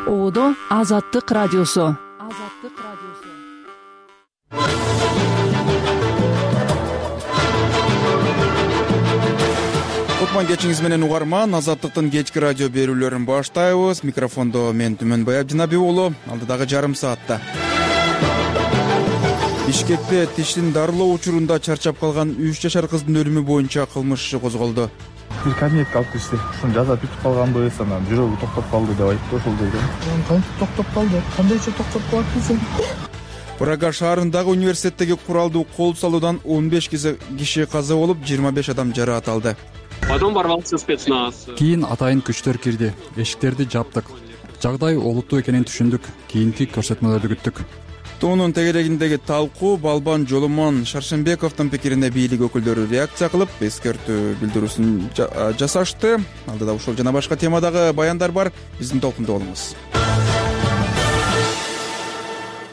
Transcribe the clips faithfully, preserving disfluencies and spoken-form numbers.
Оодо Азаттык радиосу. Азаттык радиосу. Кутман кечиңиз менен угарман. Азаттыктын кечки радио берүүлөрүн баштайбыз. Микрофондо мен Түмөнбай Абдинабиев уулу. Алдыдагы жарым саатта Бишкекте тиштин дарылоо учурунда чарчап калган үч жашар кыздын өлүмү боюнча кылмыш иши козголду. Бир кабинетке алып киришти. Ушуну жаза бүтүп калганбы, анан жүрөгү токтоп калды деп айтты ошол жерде. Кантип токтоп калды? Кандайча токтоп калат десем. Брага шаарындагы университеттеги куралдуу кол салуудан он беш киши каза болуп, жыйырма беш адам жараат алды. Потом ворвался спецназ. Кийин атайын күчтөр кирди. Эшиктерди жаптык. Жагдай олуттуу экенин түшүндүк. Кийинки көрсөтмөлөрдү күттүк. Туунун тегерегиндеги талкуу Балбан Жоломон Шаршембековдун пикирине бийлик өкүлдөрү реакция кылып, эскертүү билдирүүсүн жасашты. Алдыда ушул жана башка темадагы баяндар бар. Биздин толкунда болуңуз.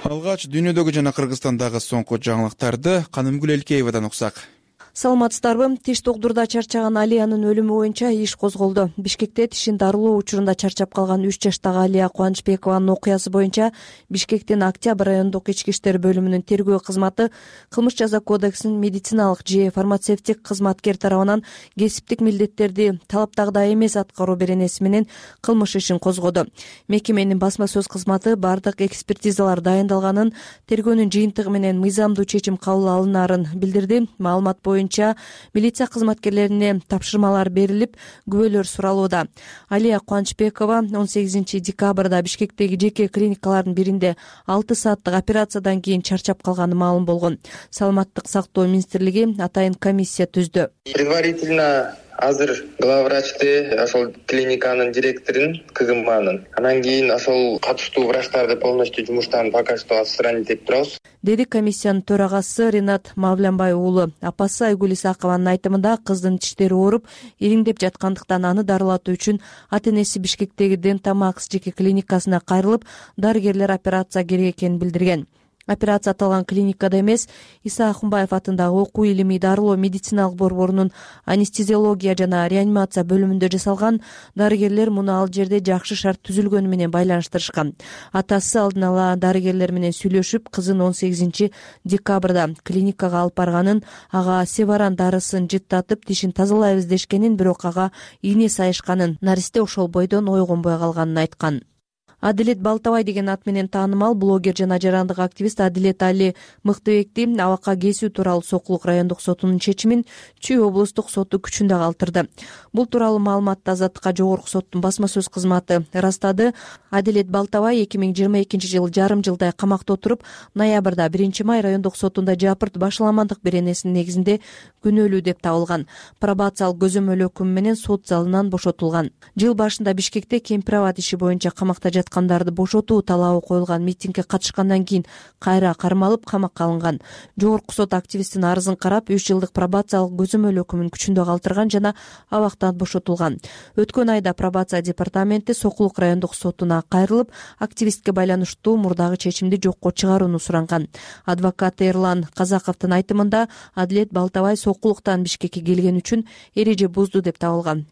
Алгач дүйнөдөгү жана Кыргызстандагы соңку жаңылыктарды Канымгүл Элкеевадан уксак. Саламатсыздарбы? Тиш тогдурда чарчаган Алиянын өлүмү боюнча иш козголду. Бишкекте тишин дарылоо учурунда чарчап калган үч жаштагы Алия Кубанычбекованын окуясы боюнча Бишкектин Октябрь райондук ички иштер бөлүмүнүн тергөө кызматы кылмыш жаза кодексинин медициналык же фармацевтик кызматкер тарабынан кесиптик милдеттерди талаптагыдай эмес аткаруу беренеси менен кылмыш ишин козгоду. Мекеменин басма сөз кызматы бардык экспертизалар дайындалганын, тергөөнүн жыйынтыгы менен мыйзамдуу чечим кабыл алынаарын билдирди. Маалымат боюнча милиция кызматкерлерине тапшырмалар берилип, күбөлөр суралууда. Алия Кубанычбекова он сегизинчи декабрда Бишкектеги жеке клиникалардын биринде алты сааттык операциядан кийин чарчап калганы маалым болгон. Саламаттык сактоо министрлиги атайын комиссия түздү. Предварительно азыр главврачты, ошол клиниканын директорун, КГМанын. Анан кийин ошол катыштуу врачтарды полностью жумуштан пока что отстранить этип турабыз. Деди комиссиянын төрагасы Ринат Мавлянбай уулу. Апасы Айгүл Исакованын айтымында кыздын тиштери ооруп, ириңдеп жаткандыктан аны дарылатуу үчүн ата-энеси Бишкектеги Дентамакс жеке клиникасына кайрылып, дарыгерлер операция керек экенин билдирген. Операция аталган клиникада эмес, Иса Ахунбаев атындагы окуу илимий дарылоо медициналык борборунун анестезиология жана реанимация бөлүмүндө жасалган. Дарыгерлер муну ал жерде жакшы шарт түзүлгөнү менен байланыштырышкан. Атасы алдын ала дарыгерлер менен сүйлөшүп, кызын он сегизинчи декабрда клиникага алып барганын, ага севаран дарысын жыттатып тишин тазалайбыз дешкенин, бирок ага ийне сайышканын, наристе ошол бойдон ойгонбой калганын айткан. Адилет Балтабай деген ат менен таанымал блогер жана жарандык активист Адилет Али Мыктыбекти абакка кесүү тууралуу Сокулук райондук сотунун чечимин Чүй облустук соту күчүндө калтырды. Бул тууралуу маалыматты Азаттыкка жогорку соттун басма сөз кызматы ырастады. Адилет Балтабай эки миң жыйырма экинчи жылы жарым жылдай камакта отуруп, ноябрда биринчи май райондук сотунда жапырт башаламандык беренесинин негизинде күнөөлүү деп табылган. Пробациялык көзөмөл өкүмү менен сот залынан бошотулган. Жыл башында Бишкекте кемпир-абад иши боюнча камакта жаткандарды бошотуу талабы коюлган митингге катышкандан кийин кайра кармалып камакка алынган. Жогорку сот активисттин арызын карап, үч жылдык пробациялык көзөмөл өкүмүн күчүндө калтырган жана абактан бошотулган. Өткөн айда пробация департаменти Сокулук райондук сотуна кайрылып, активистке байланыштуу мурдагы чечимди жокко чыгарууну суранган. Адвокат Эрлан Казаковдун айтымында Адилет Балтабай Сокулуктан Бишкекке келген үчүн эреже бузду деп табылган.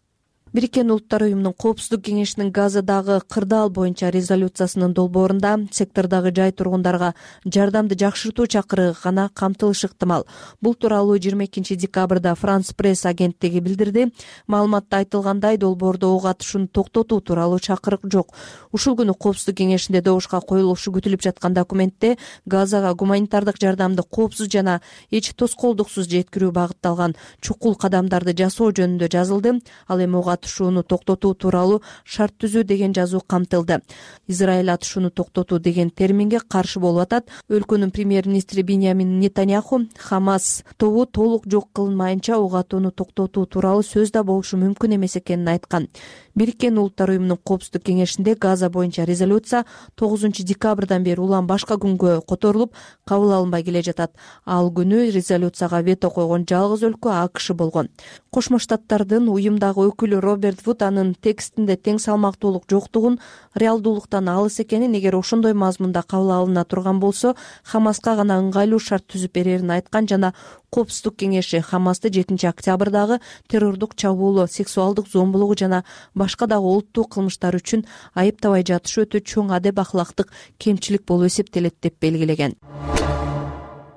Бириккен Улуттар уюмунун Коопсуздук кеңешинин Газадагы кырдаал боюнча резолюциясынын долбоорунда сектордогы жай тургундарга жардамды жакшыртуу чакырыгы гана камтылышы ыктымал. Бул тууралуу жыйырма экинчи декабрда Франс пресс агенттиги билдирди. Маалыматта айтылгандай, долбоордо ок атышууну токтотуу тууралуу чакырык жок. Ушул күнү Коопсуздук кеңешинде добушка коюлушу күтүлүп жаткан документте Газага гуманитардык жардамды коопсуз жана эч тоскоолдуксуз жеткирүү багытталган чукул кадамдарды жасоо жөнүндө жазылды. Ал эми ок атышууну токтотуу тууралуу шарт түзүү деген жазуу камтылды. Израиль атышууну токтотуу деген терминге каршы болуп атат. Өлкөнүн премьер-министри Биньямин Нетаньяху Хамас тобу толук жок кылынмайынча ок атууну токтотуу тууралуу сөз да болушу мүмкүн эмес экенин айткан. Бириккен Улуттар уюмунун Коопсуздук кеңешинде Газа боюнча резолюция тогузунчу декабрдан бери улам башка күнгө которулуп, кабыл алынбай келе жатат. Ал күнү резолюцияга вето койгон жалгыз өлкө АКШ болгон. Кошмо Штаттардын уюмдагы өкүлү Роберт Вуд анын текстинде тең салмактуулук жоктугун, реалдуулуктан алыс экенин, эгер ошондой мазмунда кабыл алына турган болсо, Хамаска гана ыңгайлуу шарт түзүп берерин айткан жана Коопсуздук кеңеши Хамасты жетинчи октябрдагы террордук чабуулу, сексуалдык зомбулугу жана башка дагы олуттуу кылмыштар үчүн айыптабай жатышы өтө чоң адеп ахлактык кемчилик болуп эсептелет деп белгилеген.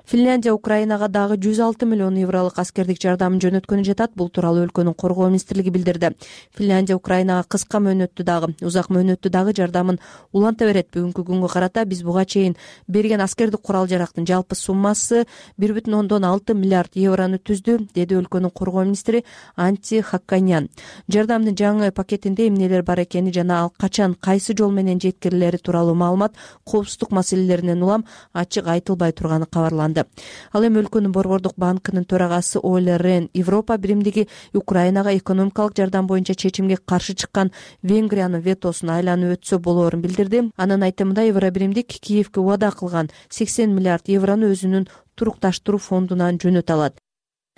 Финляндия Украинага дагы жүз алты миллион евролук аскердик жардамын жөнөткөнү жатат. Бул тууралуу өлкөнүн коргоо министрлиги билдирди. Финляндия Украинага кыска мөөнөттүү дагы, узак мөөнөттүү дагы жардамын уланта берет. Бүгүнкү күнгө карата биз буга чейин берген аскердик курал-жарактын жалпы суммасы бир бүтүн ондон алты миллиард еврону түздү, деди өлкөнүн коргоо министри Анти Хакканян. Жардамдын жаңы пакетинде эмнелер бар экени жана ал качан кайсы жол менен жеткирилери тууралуу маалымат коопсуздук маселелеринен улам ачык айтылбай турганы кабарланды. Ал эми өлкөнүн Борбордук банкынын төрагасы Оле Рен Европа биримдиги Украинага экономикалык жардам боюнча чечимге каршы чыккан Венгриянын ветосун айланып өтсө болоорун билдирди. Анын айтымында Евро биримдик Киевке убада кылган сексен миллиард еврону өзүнүн турукташтыруу фондунан жөнөтө алат.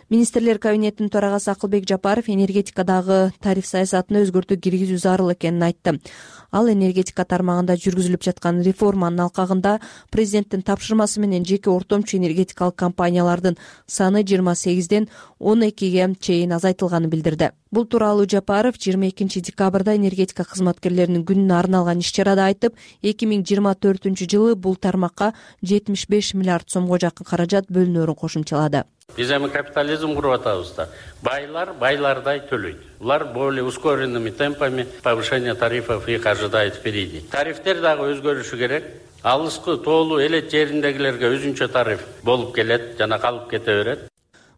Министрлер кабинетинин төрагасы Акылбек Жапаров энергетикадагы тариф саясатына өзгөртүү киргизүү зарыл экенин айтты. Ал энергетика тармагында жүргүзүлүп жаткан реформанын алкагында президенттин тапшырмасы менен жеке ортомчу энергетикалык компаниялардын саны жыйырма сегизден он экиге чейин азайтылганын билдирди. Бул тууралуу Жапаров жыйырма экинчи декабрда энергетика кызматкерлеринин күнүнө арналган иш-чарада айтып, эки миң жыйырма төртүнчү жылы бул тармакка жетимиш беш миллиард сомго жакын каражат бөлүнөөрүн кошумчалады. Биз эми капитализм куруп атабыз да. Байлар байлардай төлөйт. Улар более ускоренными темпами повышения тарифов их ожидает впереди. Тарифтер дагы өзгөрүшү керек. Алыскы, тоолуу элет жериндегилерге өзүнчө тариф болуп келет жана калып кете берет.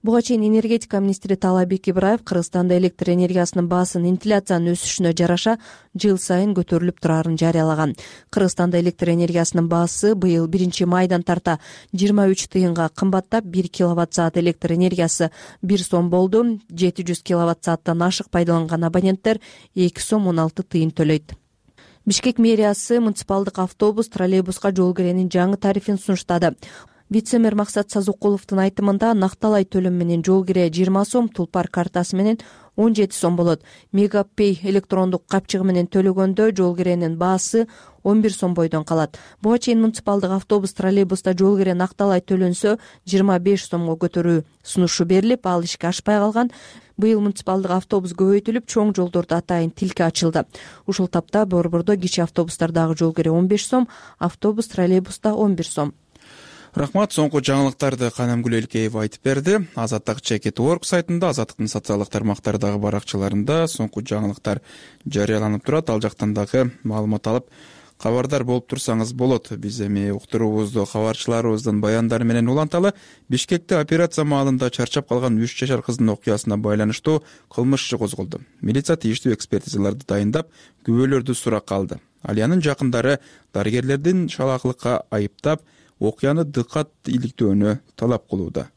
Буга чейин энергетика министри Таалайбек Ибраев Кыргызстанда электр энергиясынын баасын инфляциянын өсүшүнө жараша жыл сайын көтөрүлүп турарын жарыялаган. Кыргызстанда электр энергиясынын баасы быйыл биринчи майдан тарта жыйырма үч тыйынга кымбаттап, бир киловатт саат электр энергиясы бир сом болду. жети жүз киловатт сааттан ашык пайдаланган абоненттер эки сом он алты тыйын төлөйт. Бишкек мэриясы муниципалдык автобус, троллейбуска жол киренин жаңы тарифин сунуштады. Вице-мэр Максат Сазукуловдун айтымында накталай төлөм менен жол кире жыйырма сом, тулпар картасы менен он жети сом болот. Мегапей электрондук капчыгы менен төлөгөндө жол киренин баасы он бир сом бойдон калат. Буга чейин муниципалдык автобус, троллейбуста жол кире накталай төлөнсө жыйырма беш сомго көтөрүү сунушу берилип, ал ишке ашпай калган. Быйыл муниципалдык автобус көбөйтүлүп, чоң жолдордо атайын тилке ачылды. Ушул тапта Борбордо кичи автобустардагы жол кире он беш сом, автобус, троллейбуста он бир сом. Рахмат, соңку жаңылыктарды Канамгүл Элкеева айтып берди. Азаттык чекит точка орг сайтында, Азаттыктын социалдык тармактардагы баракчаларында соңку жаңылыктар жарыяланып турат. Ал жактан дагы маалымат алып кабардар болуп турсаңыз болот. Биз эми уктуруубузду кабарчыларыбыздын баяндары менен уланталы. Бишкекте операция маалында чарчап калган үч жашар кыздын окуясына байланыштуу кылмыш иши козголду. Милиция тийиштүү экспертизаларды дайындап, күбөлөрдү суракка алды. Алиянын жакындары дарыгерлердин шалаакылыкка айыптап, окуяны дыккат иликтөөнү талап кылууда.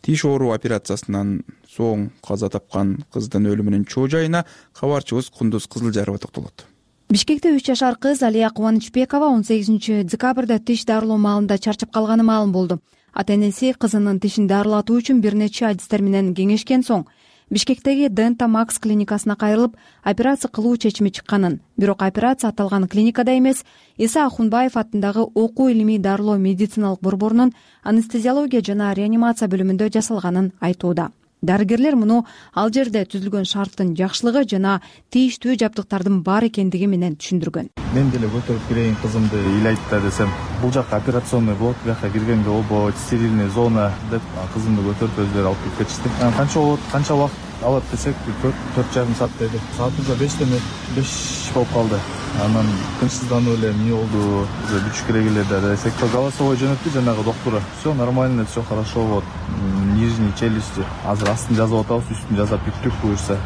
Тиш оору операциясынан соң каза тапкан кыздын өлүмүнүн чоо жайына кабарчыбыз Кундуз Кызылжарова токтолот. Бишкекте үч жашар кыз Алия Кубанычбекова он сегизинчи декабрда тиш дарылоо маалында чарчап калганы маалым болду. Ата-энеси кызынын тишин дарылатуу үчүн бир нече адистер менен кеңешкен соң Бишкектеги Дента Макс клиникасына кайрылып, операция кылуу чечими чыкканын, бирок операция аталган клиникада эмес, Иса Ахунбаев аттындагы окуу илимий дарылоо медициналык борборунун анестезиология жана реанимация бөлүмүндө жасалганын айтууда. Дарыгерлер муну ал жерде түзүлгөн шарттын жакшылыгы жана тийиштүү жабдыктардын бар экендиги менен түшүндүргөн. Мен деле көтөрүп кирейин кызымды ыйлайт да десем, бул жакка операционный блок, бияка киргенге болбойт, стерильный зона деп кызымды көтөрүп өздөрү алып келип кетишти. Канча болот, канча убакыт алат десек, төрт жарым саат деди. Саатыбызда бештен беш болуп калды. Анан тынчсызданып эле эмне болду, бүчүк керек эле да десек, голосовой жөнөттү жанагы доктуру. Все нормально, все хорошо, вот нижний челюсти. Азыр астын жазып атабыз, үстүн жазап бүттүк буюрса.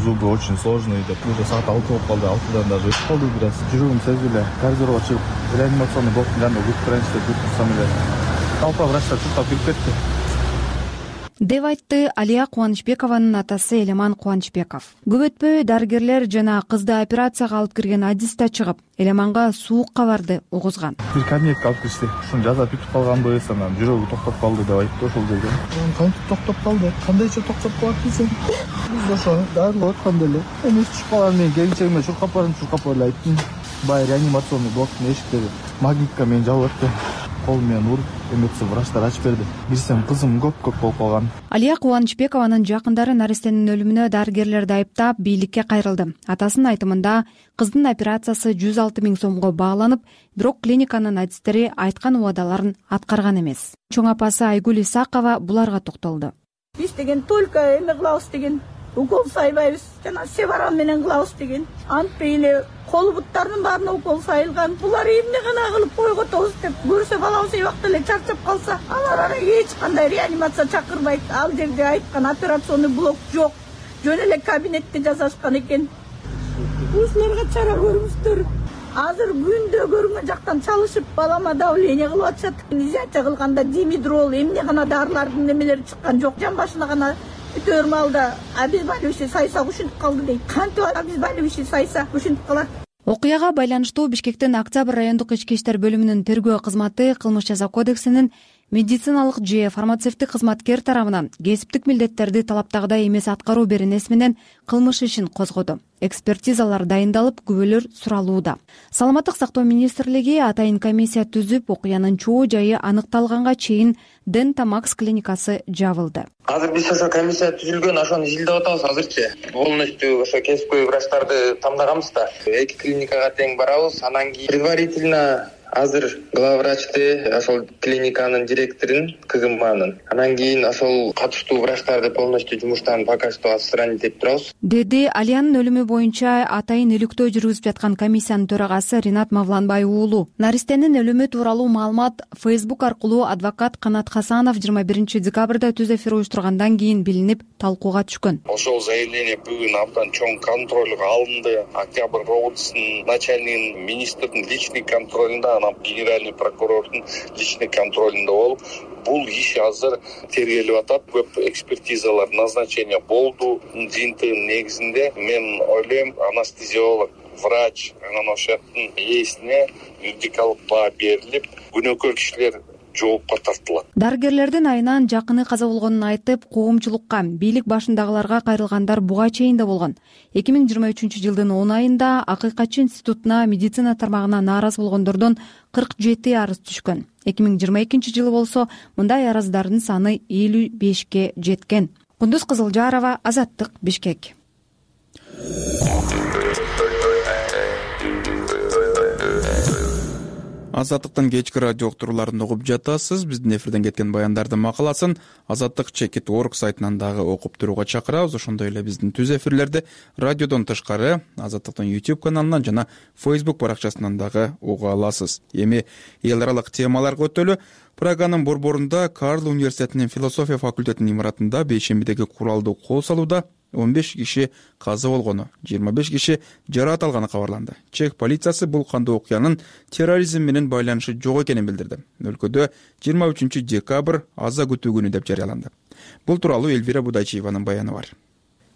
Зубы очень сложные деп. Уже саат алты болуп калды, алтыдан даже өтүп калды бираз. Жүрөгүм сезди эле, коридорго чыгып, реанимационный блоктун жанында күтүп турайынчы деп күтүп эле. Толпа врачтар чуркап кирип кетти. деп айтты Алия Кубанычбекованын атасы Элеман Кубанычбеков. Көп өтпөй дарыгерлер жана кызды операцияга алып кирген адис да чыгып, Элеманга суук кабарды угузган. Бир кабинетке алып киришти. Ушуну жазап бүтүп калганбы, анан жүрөгү токтоп калды деп айтты ошол жерде. Кантип токтоп калды? Кандайча токтоп калат десең? Биз ошо дарылап атканда эле. Эми чыгып калган мен келинчегиме чуркап барам, чуркап эле айттым. Бай реанимационный блоктун эшиктери магнитка менен жабылып атты. кол менен уруп эметсе врачтар ачып берди. Билсем кызым көп көп болуп калган. Алия Кубанычбекованын жакындары нарестенин өлүмүнө дарыгерлерди айыптап бийликке кайрылды. Атасынын айтымында кыздын операциясы жүз алты миң сомго бааланып, бирок клиниканын адистери айткан убадаларын аткарган эмес. Чоң апасы Айгүл Исакова буларга токтолду. Биз деген только эме кылабыз деген, укол сайбайбыз, жана севаран менен кылабыз деген. Антпей эле кол буттарынын баарына укол сайылган. Булар эмне гана кылып койготобуз деп көрсө балабыз эбакта эле чарчап калса, алар эч кандай реанимация чакырбайт. Ал жерде айткан операционный блок жок. Жөн эле кабинетте жасашкан экен. Ушуларга чара көрүңүздөр. Азыр күндө көрүнгөн жактан чалышып, балама давление кылып атышат. Изоляция кылганда димедрол, эмне гана дарылардын немелери чыккан жок. Жан башына гана өтөр маалда обезболивающий сайса ушинтип калды дейт. Кантип обезболивающий сайса ушинтип калат. Окуяга байланыштуу Бишкектин Октябрь райондук ички иштер бөлүмүнүн тергөө кызматы кылмыш жаза кодексинин медициналык же фармацевттик кызматкер тарабынан кесиптик милдеттерди талаптагыдай эмес аткаруу беренеси менен кылмыш ишин козгоду. Экспертизалар дайындалып, күбөлөр суралууда. Саламаттык сактоо министрлиги атайын комиссия түзүп, окуянын чоо жайы аныкталганга чейин Дента Макс клиникасы жабылды. Азыр биз ошо комиссия түзүлгөн, ошону изилдеп атабыз азырчы. Полностью ошо кесипкөй врачтарды тамдаганбыз да. Эки клиникага тең барабыз, анан кийин предварительно азыр главврачты, ошол клиниканын директорун, КГМанын. Анан кийин ошол катыштуу врачтарды полностью жумуштан пока что отстранить этип турабыз. Деди Алиянын өлүмү боюнча атайын иликтөө жүргүзүп жаткан комиссиянын төрагасы Ринат Мавланбай уулу. Наристенин өлүмү тууралуу маалымат Facebook аркылуу адвокат Канат Хасанов жыйырма биринчи декабрда түз эфир уюштургандан кийин билинип, талкууга түшкөн. Ошол заявление бүгүн абдан чоң контролго алынды. Октябрь роудсунун начальнигинин, министрдин личный контролунда, анан генеральный прокурордун личный контролунда болуп, бул иш азыр тергелип атат. Көп экспертизалар, назначение болду. Жыйынтыгынын негизинде мен ойлойм, анестезиолог, врач, анан ошонун ээсине юридикалык баа берилип, күнөөкөр кишилер жоопко тартылат. Дарыгерлердин айынан жакыны каза болгонун айтып, коомчулукка, бийлик башындагыларга кайрылгандар буга чейин да болгон. эки миң жыйырма үчүнчү жылдын он айында Акыйкатчы институтуна медицина тармагына нааразы болгондордон кырк жети арыз түшкөн. эки миң жыйырма экинчи жылы болсо мындай арыздардын саны элүү бешке жеткен. Кундуз Кызылжарова, Азаттык, Бишкек. Азаттыктын кечки радио уктурууларын угуп жатасыз. Биздин эфирден кеткен баяндардын макаласын азаттык чекит точка орг сайтынан дагы окуп турууга чакырабыз. Ошондой эле биздин түз эфирлерди радиодон тышкары Азаттыктын YouTube каналынан жана Facebook баракчасынан дагы уга аласыз. Эми эл аралык темаларга өтөлү. Праганын борборунда Карл университетинин философия факультетинин имаратында бейшембидеги куралдуу кол салууда он беш киши каза болгону, жыйырма беш киши жараат алганы кабарланды. Чех полициясы бул кандуу окуянын терроризм менен байланышы жок экенин билдирди. Өлкөдө жыйырма үчүнчү декабрь аза күтүү күнү деп жарыяланды. Бул тууралуу Эльвира Будайчиеванын баяны бар.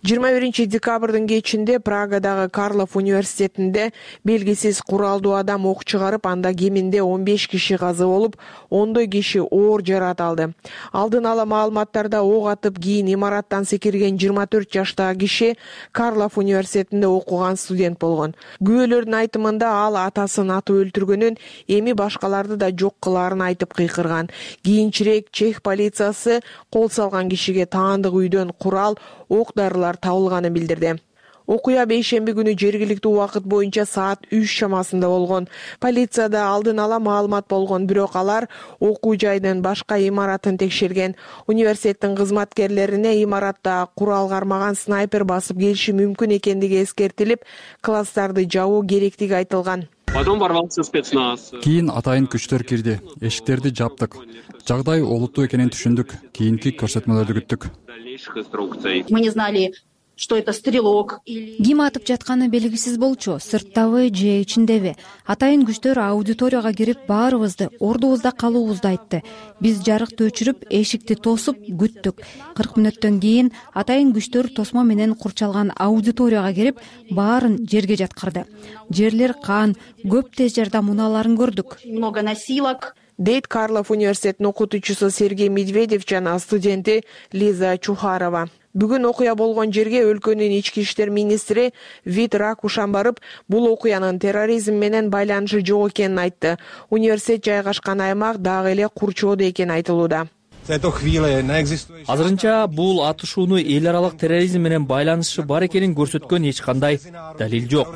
жыйырма биринчи декабрдын кечинде Прагадагы Карлов университетинде белгисиз куралдуу адам ок чыгарып, анда кеминде он беш киши каза болуп, ондой киши оор жараат алды. Алдын ала маалыматтарда ок атып кийин имараттан секирген жыйырма төрт жаштагы киши Карлов университетинде окуган студент болгон. Күбөлөрдүн айтымында ал атасын атып өлтүргөнүн, эми башкаларды да жок кылаарын айтып кыйкырган. Кийинчерээк чех полициясы кол салган кишиге таандык үйдөн курал, ок дарылар табылганын билдирди. Окуя бейшемби күнү жергиликтүү убакыт боюнча саат үч чамасында болгон. Полицияда алдын ала маалымат болгон, бирок алар окуу жайдын башка имаратын текшерген. Университеттин кызматкерлерине имаратта курал кармаган снайпер басып келиши мүмкүн экендиги эскертилип, класстарды жабуу керектиги айтылган. Потом ворвался спецназ. Кийин атайын күчтөр кирди. Эшиктерди жаптык. Жагдай олуттуу экенин түшүндүк. Кийинки көрсөтмөлөрдү күттүк. Мы не знали, что это стрелок или... Ким атып жатканы белгисиз болчу, сырттабы же ичиндеби. Атайын күчтөр аудиторияга кирип баарыбызды, ордубузда калуубузду айтты. Биз жарыкты өчүрүп, эшикти тосуп күттүк. кырк мүнөттөн кийин атайын күчтөр тосмо менен курчалган аудиторияга кирип, баарын жерге жаткырды. Жерлер кан, көп тез жардам унааларын көрдүк. Много носилок. Дейт Карлов университетинин окутуучусу Сергей Медведев жана студенти Лиза Чухарова. Бүгүн окуя болгон жерге өлкөнүн ички иштер министри Вит Ракушан барып, бул окуянын терроризм менен байланышы жок экенин айтты. Университет жайгашкан аймак дагы эле курчоодо экени айтылууда. Азырынча бул атышууну эл аралык терроризм менен байланышы бар экенин көрсөткөн эч кандай далил жок,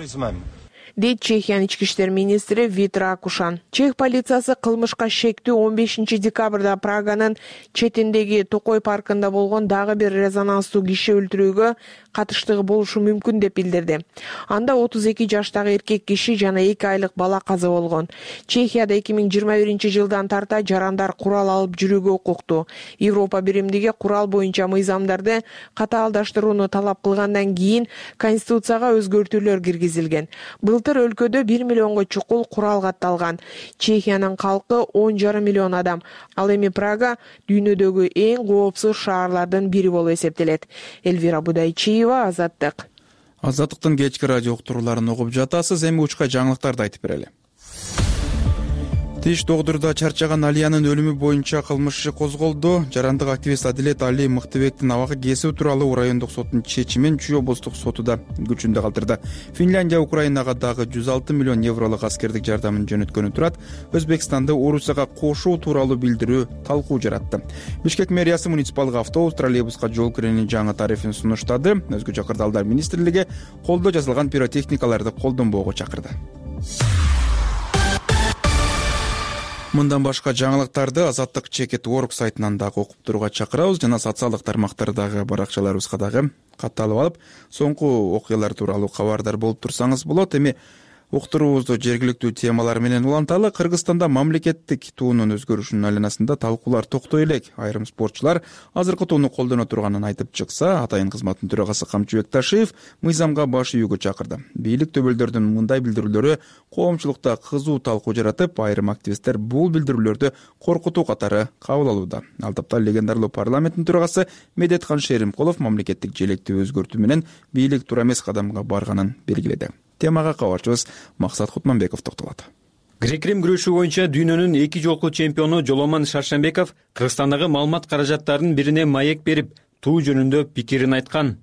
дейт Чехиянын ички иштер министри Вит Ракушан. Чех полициясы кылмышка шектүү он бешинчи декабрда Праганын четиндеги Токой паркында болгон дагы бир резонанстуу киши өлтүрүүгө катыштыгы болушу мүмкүн деп билдирди. Анда отуз эки жаштагы эркек киши жана эки айлык бала каза болгон. Чехияда эки миң жыйырма биринчи жылдан тарта жарандар курал алып жүрүүгө укуктуу. Европа биримдиги курал боюнча мыйзамдарды катаалдаштырууну талап кылгандан кийин Конституцияга өзгөртүүлөр киргизилген. Былтыр өлкөдө бир миллионго чукул курал катталган. Чехиянын калкы он жарым миллион адам. Ал эми Прага дүйнөдөгү эң коопсуз шаарлардын бири болуп эсептелет. Эльвира Будайчиева, Азаттык. Азаттыктын кечки радио уктурууларын угуп жатасыз. Эми учка жаңылыктарды айтып берели. Тиш догдурда чарчаган Алиянын өлүмү боюнча кылмыш иши козголду. Жарандык активист Адилет Али Мыктыбектин абакка кесүү тууралуу райондук соттун чечимин Чүй облустук соту да күчүндө калтырды. Финляндия Украинага дагы жүз алты миллион евролук аскердик жардамын жөнөткөнү турат. Өзбекстанды Орусияга кошуу тууралуу билдирүү талкуу жаратты. Бишкек мэриясы муниципалдык автобус, троллейбуска жол киренин жаңы тарифин сунуштады. Өзгөчө кырдаалдар министрлиги колдо жасалган пиротехникаларды колдонбоого чакырды. Мындан башка жаңылыктарды Азаттык Чекет Орг сайтынан дагы окуп турууга чакырабыз жана социалдык тармактардагы баракчаларыбызга дагы катталып алып, соңку окуялар тууралуу кабардар болуп турсаңыз болот. Эми уктуруубузду жергиликтүү темалар менен уланталы. Кыргызстанда мамлекеттик туунун өзгөрүшүнүн айланасында талкуулар токтой элек. Айрым спортчулар азыркы тууну колдоно турганын айтып чыкса, атайын кызматтын төрагасы Камчыбек Ташиев мыйзамга баш ийүүгө чакырды. Бийлик төбөлдөрдүн мындай билдирүүлөрү коомчулукта кызуу талкуу жаратып, айрым активисттер бул билдирүүлөрдү коркутуу катары кабыл алууда. Ал тапта легендарлуу парламенттин төрагасы Медеткан Шеримкулов мамлекеттик желекти өзгөртүү менен бийлик туура эмес кадамга барганын белгиледи. Темага кабарчыбыз Максат Кутманбеков токтолот. Грек-рим күрөшүү боюнча дүйнөнүн эки жолку чемпиону Жоломон Шаршенбеков Кыргызстандагы маалымат каражаттарынын бирине маек берип, туу жөнүндө пикирин айткан.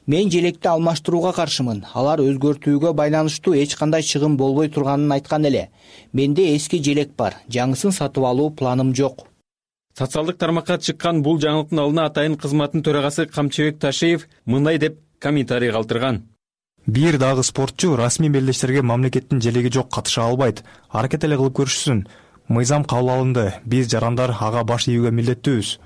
Мен желекти алмаштырууга каршымын. Алар өзгөртүүгө байланыштуу эч кандай чыгым болбой турганын айткан эле. Менде эски желек бар. Жаңысын сатып алуу планым жок. Социалдык тармакка чыккан бул жаңылыктын алдына атайын кызматтын төрагасы Камчыбек Ташиев мындай деп комментарий калтырган. Бир дагы спортчу расмий белдештерге мамлекеттин желеги жок катыша албайт. Аракет эле кылып көрүшсүн. Мыйзам кабыл алынды. Биз жарандар ага баш ийүүгө милдеттүүбүз.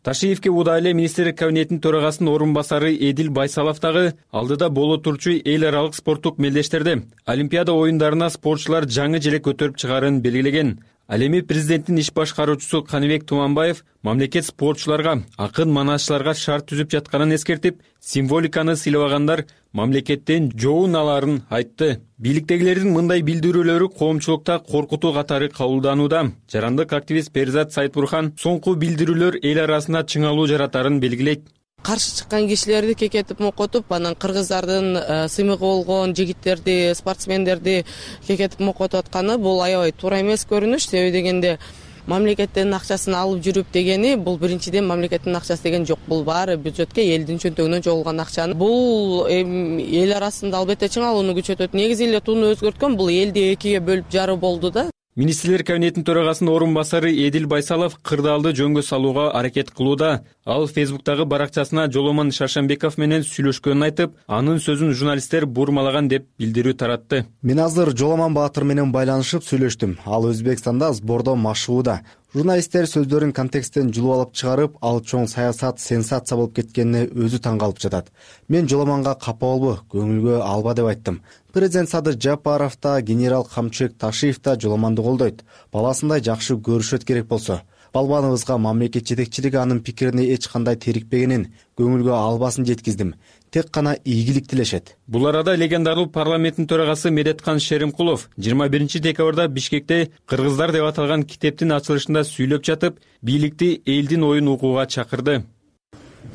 Ташиевке удай эле министрлик кабинетинин төрагасынын орун басары Эдил Байсалов дагы алдыда боло турчу эл аралык спорттук мелдештерде Олимпиада оюндарына спортчулар жаңы желек көтөрүп чыгаарын белгилеген. Ал эми президенттин иш башкаруучусу Каныбек Туманбаев мамлекет спортчуларга, акын манашчыларга шарт түзүп жатканын эскертип, символиканы сыйлабагандар мамлекеттен жоон аларын айтты. Бийликтегилердин мындай билдирүүлөрү коомчулукта коркутуу катары кабылданууда. Жарандык активист Перизат Сайтбурхан соңку билдирүүлөр эл арасында чыңалуу жаратарын белгилейт. Каршы чыккан кишилерди кекетип мокотуп, анан кыргыздардын сыймыгы болгон жигиттерди, спортсмендерди кекетип мокотуп атканы бул аябай туура эмес көрүнүш. Себеби дегенде мамлекеттин акчасын алып жүрүп дегени бул биринчиден мамлекеттин акчасы деген жок. Бул баары бюджетке, элдин чөнтөгүнөн чогулган акчаны. Бул эл арасында албетте чыңалууну күчөтөт. Негизи эле тууну өзгөрткөн бул элди экиге бөлүп жаруу болду да. Министрлер кабинетинин төрагасынын орун басары Эдил Байсалов кырдаалды жөнгө салууга аракет кылууда. Ал Фейсбуктагы баракчасына Жоломон Шаршенбеков менен сүйлөшкөнүн айтып, анын сөзүн журналисттер бурмалаган деп билдирүү таратты. Мен азыр Жоломон Баатыр менен байланышып сүйлөштүм. Ал Өзбекстанда сбордо машыгууда. Журналисттер сөздөрүн контексттен жулуп алып чыгарып, ал чоң саясат сенсация болуп кеткенине өзү таң калып жатат. Мен Жоломонго капа болбо, көңүлгө алба деп айттым. Президент Садыр Жапаров да, генерал Камчыбек Ташиев да Жоломонду колдойт. Баласындай жакшы көрүшөт керек болсо. Балбаныбызга мамлекет жетекчилиги анын пикирине эч кандай терикпегенин, көңүлгө албасын жеткиздим. Тек гана ийгилик тилешет. Бул арада легендарлуу парламенттин төрагасы Медеткан Шеримкулов жыйырма биринчи декабрда Бишкекте Кыргыздар деп аталган китептин ачылышында сүйлөп жатып, бийликти элдин оюн угууга чакырды.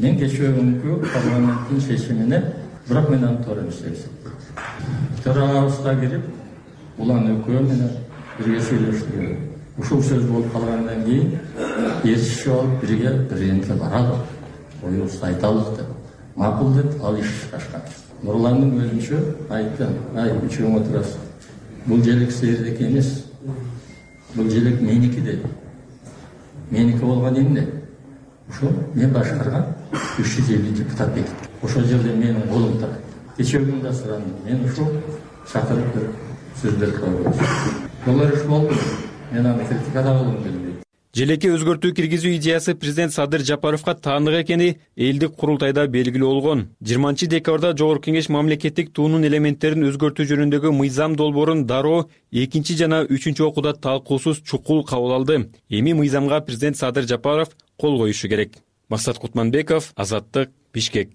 Мен кечүүгүнкү парламенттин чечимине бирок мен аны туура эмес деп эсептейм. Төрагабызга кирип, улан экөө менен бирге сүйлөштүк. Ушул сөз болуп калгандан кийин эрчишип алып бирге президентке баралы, оюбузду айталы деп. макул деп ал иш чыгашкан. Нурландын өзүнчө айтты, ай үчөөң отурасыз. Бул желек силердики эмес. Бул желек меники деп. Меники болгон эмне? Ошо мен башкарган үч жүз элүү депутат бекитти. Ошол жерде менин колум турат. Кечээ да сурандым. Мен ушул чакырып бир сөз берип койгом. Булар иш болду. Мен аны критикалагым келбейт. Желекке өзгөртүү киргизүү идеясы президент Садыр Жапаровго таандык экени элдик курултайда белгилүү болгон. жыйырманчы декабрда Жогорку Кеңеш мамлекеттик туунун элементтерин өзгөртүү жөнүндөгү мыйзам долбоорун дароо экинчи жана үчүнчү окууда талкуусуз чукул кабыл алды. Эми мыйзамга президент Садыр Жапаров кол коюшу керек. Максат Кутманбеков, Азаттык, Бишкек.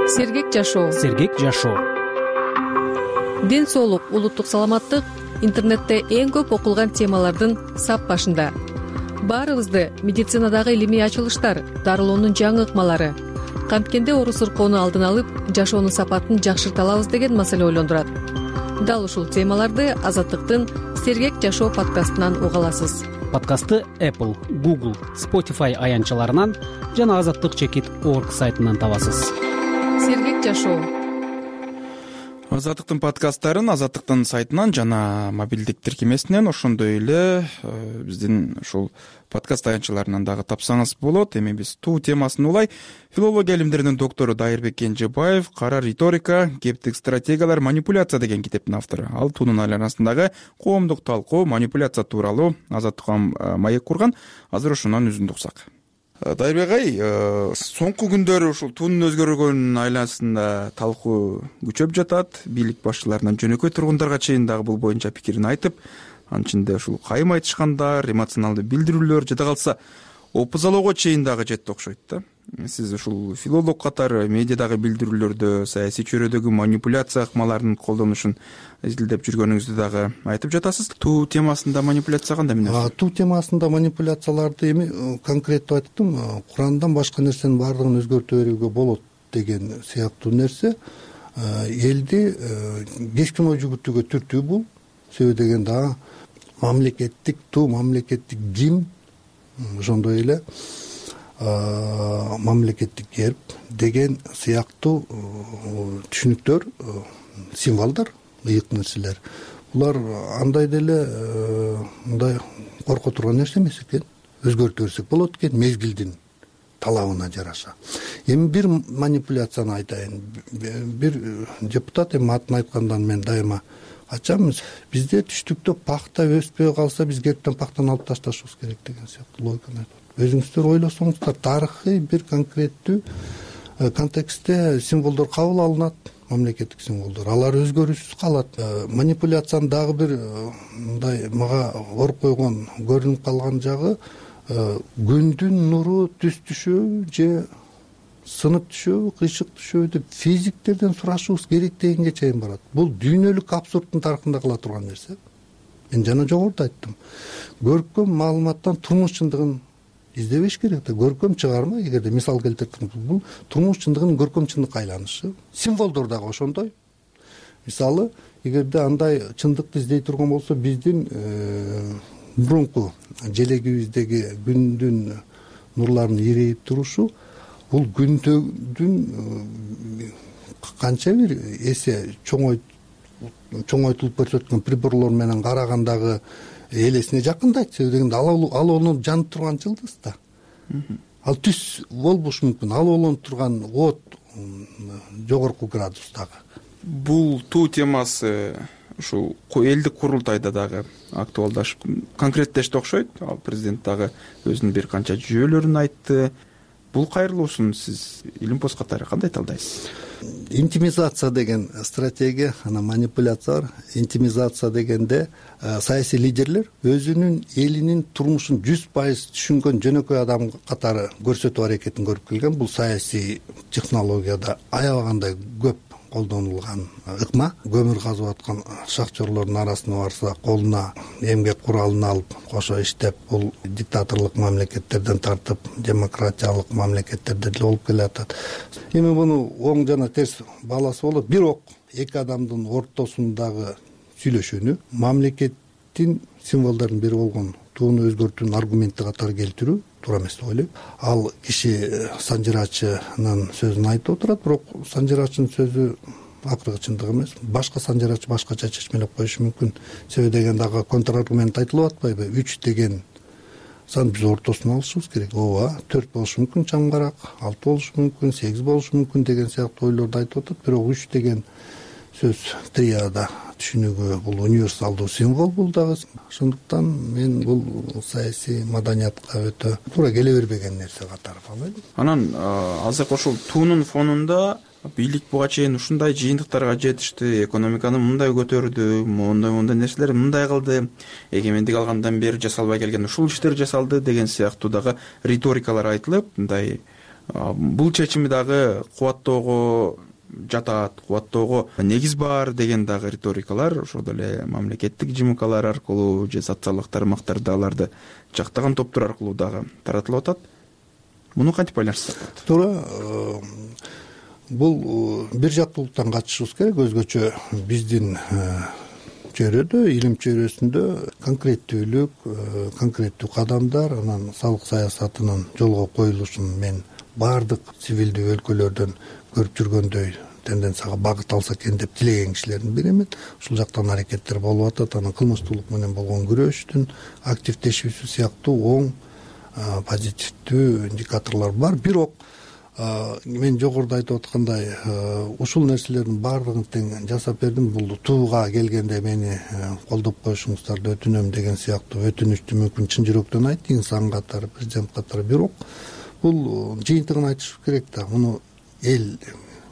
Сергек жашоо. Сергек жашоо. Ден соолук, улуттук саламаттык интернетте эң көп окулган темалардын сап башында. Баарыбызды медицинадагы илимий ачылыштар, дарылоонун жаңы ыкмалары, канткенде оору сыркоону алдын алып, жашоонун сапатын жакшырта алабыз деген маселе ойлондурат. Дал ушул темаларды Азаттыктын Сергек жашоо подкастынан уга аласыз. Подкастты Apple, Google, Spotify аянтчаларынан жана азаттык чекит точка орг сайтынан табасыз. Сергек жашоо. Азаттыктын подкасттарын Азаттыктын сайтынан жана мобилдик тиркемесинен, ошондой эле биздин ушул подкаст аянтчаларынан дагы тапсаңыз болот. Эми биз туу темасын улай филология илимдеринин доктору Дайырбек Кенжебаев «Кара риторика, кептик стратегиялар, манипуляция» деген китептин автору. Ал туунун айланасындагы коомдук талкуу, манипуляция тууралуу азаттыкка маек курган. Азыр ошонун үзүндү уксак. Дайырбек ай, соңку күндөрү ушул туунун өзгөргөнүнүн айланасында талкуу күчөп жатат. Бийлик башчыларынан жөнөкөй тургундарга чейин дагы бул боюнча пикирин айтып, анын ичинде ушул кайым айтышкандар, эмоционалдуу билдирүүлөр, жада калса опузалоого чейин дагы жетти окшойт да. Сиз ушул филолог катары медиадагы билдирүүлөрдө саясий чөйрөдөгү манипуляция ыкмаларынын колдонушун изилдеп жүргөнүңүздү дагы айтып жатасыз. Туу темасында манипуляция кандай эмне? Туу темасында манипуляцияларды эми конкреттүү айттым. Курандан башка нерсенин баардыгын өзгөртө берүүгө болот деген сыяктуу нерсе элди кескин ой жүгүртүүгө түртүү бул. Себеби дегенде дагы мамлекеттик туу, мамлекеттик гимн, ошондой эле мамлекеттик герб деген сыяктуу түшүнүктөр, символдор, ыйык нерселер. Булар андай деле мындай корко турган нерсе эмес экен. Өзгөртө берсек болот экен мезгилдин талабына жараша. Эми бир манипуляцияны айтайын. Бир депутат эми атын айткандан мен дайыма ачамыз. Бизде түштүктө пахта өспөй калса биз гербтен пахтаны алып ташташыбыз керек деген сыяктуу логиканы айтат. Өзүңүздөр ойлосоңуздар, тарыхый бир конкреттүү контекстте символдор кабыл алынат, мамлекеттик символдор. Алар өзгөрүүсүз калат. Манипуляциянын дагы бир мындай мага ор койгон, көрүнүп калган жагы күндүн нуру түз түшөбү же сынып түшөбү, кыйшык түшөбү деп физиктерден сурашыбыз керек дегенге чейин барат. Бул дүйнөлүк абсурдтун тарыхында кыла турган нерсе. Мен жана жогоруда айттым. Көркөм маалыматтан турмуш чындыгын издебеш керек да. Көркөм чыгарма, эгерде мисал келтирсек, бул турмуш чындыгынын көркөм чындыкка айланышы. Символдор дагы ошондой. Мисалы, эгерде андай чындыкты издей турган болсо, биздин мурунку желегибиздеги күндүн нурларынын ирейип турушу бул күндүн канча бир эсе чоңой чоңойтулуп көрсөткөн приборлор менен карагандагы элесине жакындайт. Себеби дегенде ал алоонуп жанып турган жылдыз да. Ал түз болбошу мүмкүн. Ал олонуп турган от жогорку градустагы. Бул туу темасы ушул элдик курултайда дагы актуалдашып, конкреттешти окшойт. Ал президент дагы өзүнүн бир канча жүйөлөрүн айтты. Бул кайрылуусун сиз илим пост катары кандай талдайсыз? Интимизация деген стратегия, ана манипуляция бар. Интимизация дегенде саясий лидерлер өзүнүн элинин турмушун жүз пайыз түшүнгөн жөнөкөй адам катары көрсөтүү аракетин көрүп келген. Бул саясий технологияда аябагандай көп колдонулган ыкма. Көмүр казып аткан шахтерлордун арасына барса, колуна эмгек куралын алып кошо иштеп, бул диктаторлук мамлекеттерден тартып демократиялык мамлекеттерде деле болуп келатат. Эми муну оң жана терс баласы болот. Бирок эки адамдын ортосундагы сүйлөшүүнү мамлекеттин символдордун бири болгон тууну өзгөртүүнүн аргументи катары келтирүү туура эмес деп ойлойм. Ал киши санжырачынын сөзүн айтып отурат, бирок санжырачынын сөзү акыркы чындык эмес. Башка санжырачы башкача чечмелеп коюшу мүмкүн. Себеби дегенде ага контраргумент айтылып атпайбы? үч деген сан биз ортосун алышыбыз керек. ооба, төрт болушу мүмкүн чаңгарак, алты болушу мүмкүн, сегиз болушу мүмкүн деген сыяктуу ойлорду айтып атат. Бирок үч деген сөз триада түшүнүгү бул универсалдуу символ бул дагы. Ошондуктан мен бул саясий маданиятка өтө туура келе бербеген нерсе катары каалайм. Анан азыркы ушул туунун фонунда бийлик буга чейин ушундай жыйынтыктарга жетишти, экономиканы мындай көтөрдү, мондай мондай нерселер мындай кылды, эгемендик алгандан бери жасалбай келген ушул иштер жасалды деген сыяктуу дагы риторикалар айтылып, мындай бул чечими дагы кубаттоого жатат, кубаттоого негиз бар деген дагы риторикалар ошол эле мамлекеттик жмклар аркылуу же социалдык тармактарда аларды жактаган топтор аркылуу дагы таратылып атат. Муну кантип байланыштырсак болот? Туура, бул бир жактуулуктан качышыбыз керек. Өзгөчө биздин чөйрөдө, илим чөйрөсүндө конкреттүүлүк, конкреттүү кадамдар, анан салык саясатынын жолго коюлушун мен баардык цивилдүү өлкөлөрдөн көрүп жүргөндөй тенденцияга багыт алса экен деп тилеген кишилердин биримен. Ушул жактан аракеттер болуп атат. Анан кылмыштуулук менен болгон күрөштүн активдешүүсү сыяктуу оң позитивдүү индикаторлор бар. Бирок мен жогоруда айтып аткандай ушул нерселердин баардыгын тең жасап бердим. Бул тууга келгенде мени колдоп коюшуңуздарды өтүнөм деген сыяктуу өтүнүчтү мүмкүн чын жүрөктөн айтты инсан катары, президент катары. Бирок бул жыйынтыгын айтыш керек да. Муну эл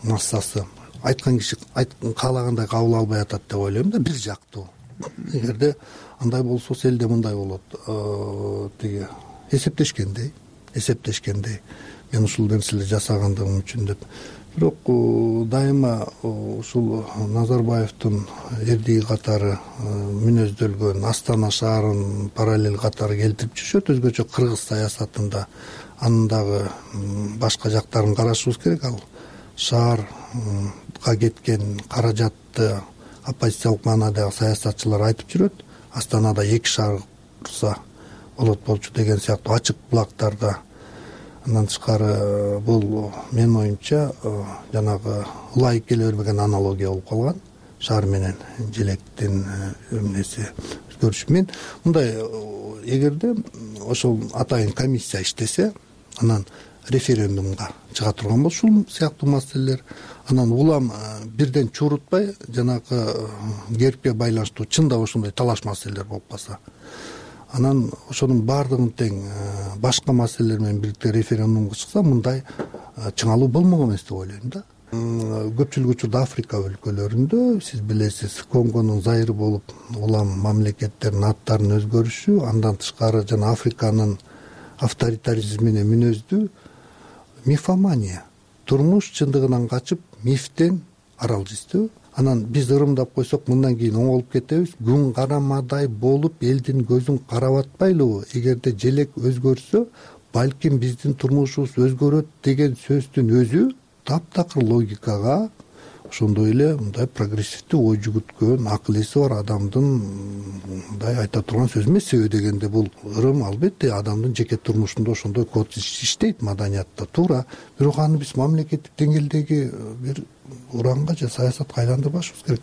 массасы айткан киши каалагандай кабыл албай атат деп ойлойм да, бир жактуу. Эгерде андай болсо элде мындай болот. Тиги эсептешкендей, эсептешкендей мен ушул нерселерди жасагандыгым үчүн деп. Бирок дайыма ушул Назарбаевдин эрдиги катары мүнөздөлгөн Астана шаарын параллель катары келтирип жүрүшөт. Өзгөчө кыргыз саясатында анын дагы башка жактарын карашыбыз керек. Ал шаарга кеткен каражатты оппозициялык маанадагы саясатчылар айтып жүрөт. Астанада эки шаар курса болот болчу деген сыяктуу ачык булактарда. Андан тышкары бул менин оюмча жанагы ылайык келе бербеген аналогия болуп калган. Шаар менен желектин эмнеси өзгөрүшү. Мен мындай, эгерде ошол атайын комиссия иштесе, анан референдумга чыга турган болсо ушул сыяктуу маселелер, анан улам бирден чурутпай жанагы гербке байланыштуу чында ошондой талаш маселелер болуп калса, анан ошонун баардыгын тең башка маселелер менен бирдикте референдумга чыкса, мындай чыңалуу болмок эмес деп ойлойм да. Көпчүлүк учурда Африка өлкөлөрүндө сиз билесиз, Конгонун зайыры болуп улам мамлекеттердин аттарынын өзгөрүшү, андан тышкары жана Африканын авторитаризмине мүнөздүү мифомания, турмуш чындыгынан качып мифтен арал издөө. Анан биз ырымдап койсок мындан кийин оңолуп кетебиз. Күн карамадай болуп элдин көзүн карап атпайлыбы? Эгерде желек өзгөрсө, балким биздин турмушубуз өзгөрөт деген сөздүн өзү таптакыр логикага, ошондой эле мындай прогрессивдүү ой жүгүрткөн, акыл эси бар адамдын мындай айта турган сөзү эмес. Себеби дегенде бул ырым албетте адамдын жеке турмушунда ошондой код иштейт маданиятта, туура. Бирок аны биз мамлекеттик деңгээлдеги бир уранга же саясатка айландырбашыбыз керек.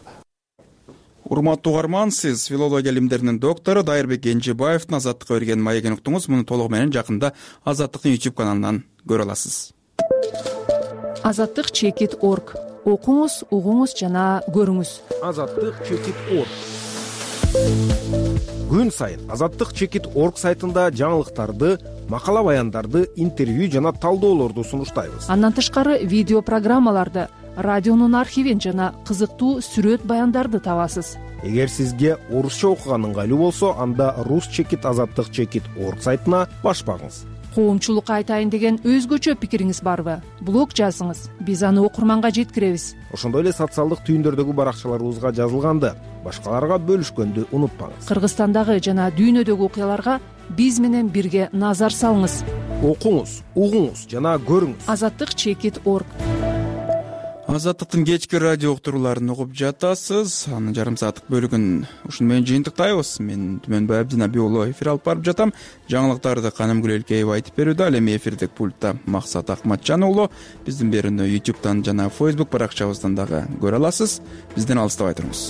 Урматтуу угарман, сиз филология илимдеринин доктору Дайырбек Кенжебаевдин Азаттыкка берген маегин уктуңуз. Муну толугу менен жакында Азаттыктын YouTube каналынан көрө аласыз. Азаттык чекит орг. Окуңуз, угуңуз жана көрүңүз. Азаттык чекит орг. Күн сайын Азаттык чекит орг сайтында жаңылыктарды, макала баяндарды, интервью жана талдоолорду сунуштайбыз. Андан тышкары видео программаларды, радионун архивин жана кызыктуу сүрөт баяндарды табасыз. Эгер сизге орусча окуган ыңгайлуу болсо, анда рус чекит азаттык чекит орг сайтына баш багыңыз. Коомчулукка айтайын деген өзгөчө пикириңиз барбы? Блог жазыңыз, биз аны окурманга жеткиребиз. Ошондой эле социалдык түйүндөрдөгү баракчаларыбызга жазылганды, башкаларга бөлүшкөндү унутпаңыз. Кыргызстандагы жана дүйнөдөгү окуяларга биз менен бирге назар салыңыз. Окуңуз, угуңуз жана көрүңүз. Азаттык чекит орг. Азаттыктын кечки радио уктурууларын угуп жатасыз. Анын жарым сааттык бөлүгүн ушуну менен жыйынтыктайбыз. Мен Түмөнбай Абдинабий уулу эфир алып барып жатам. Жаңылыктарды Канымгүл Элкеева айтып берүүдө. Ал эми эфирдик пультта Максат Акматжан уулу. Биздин берүүнү ютубтан жана фейсбук баракчабыздан дагы көрө аласыз. Бизден алыстабай туруңуз.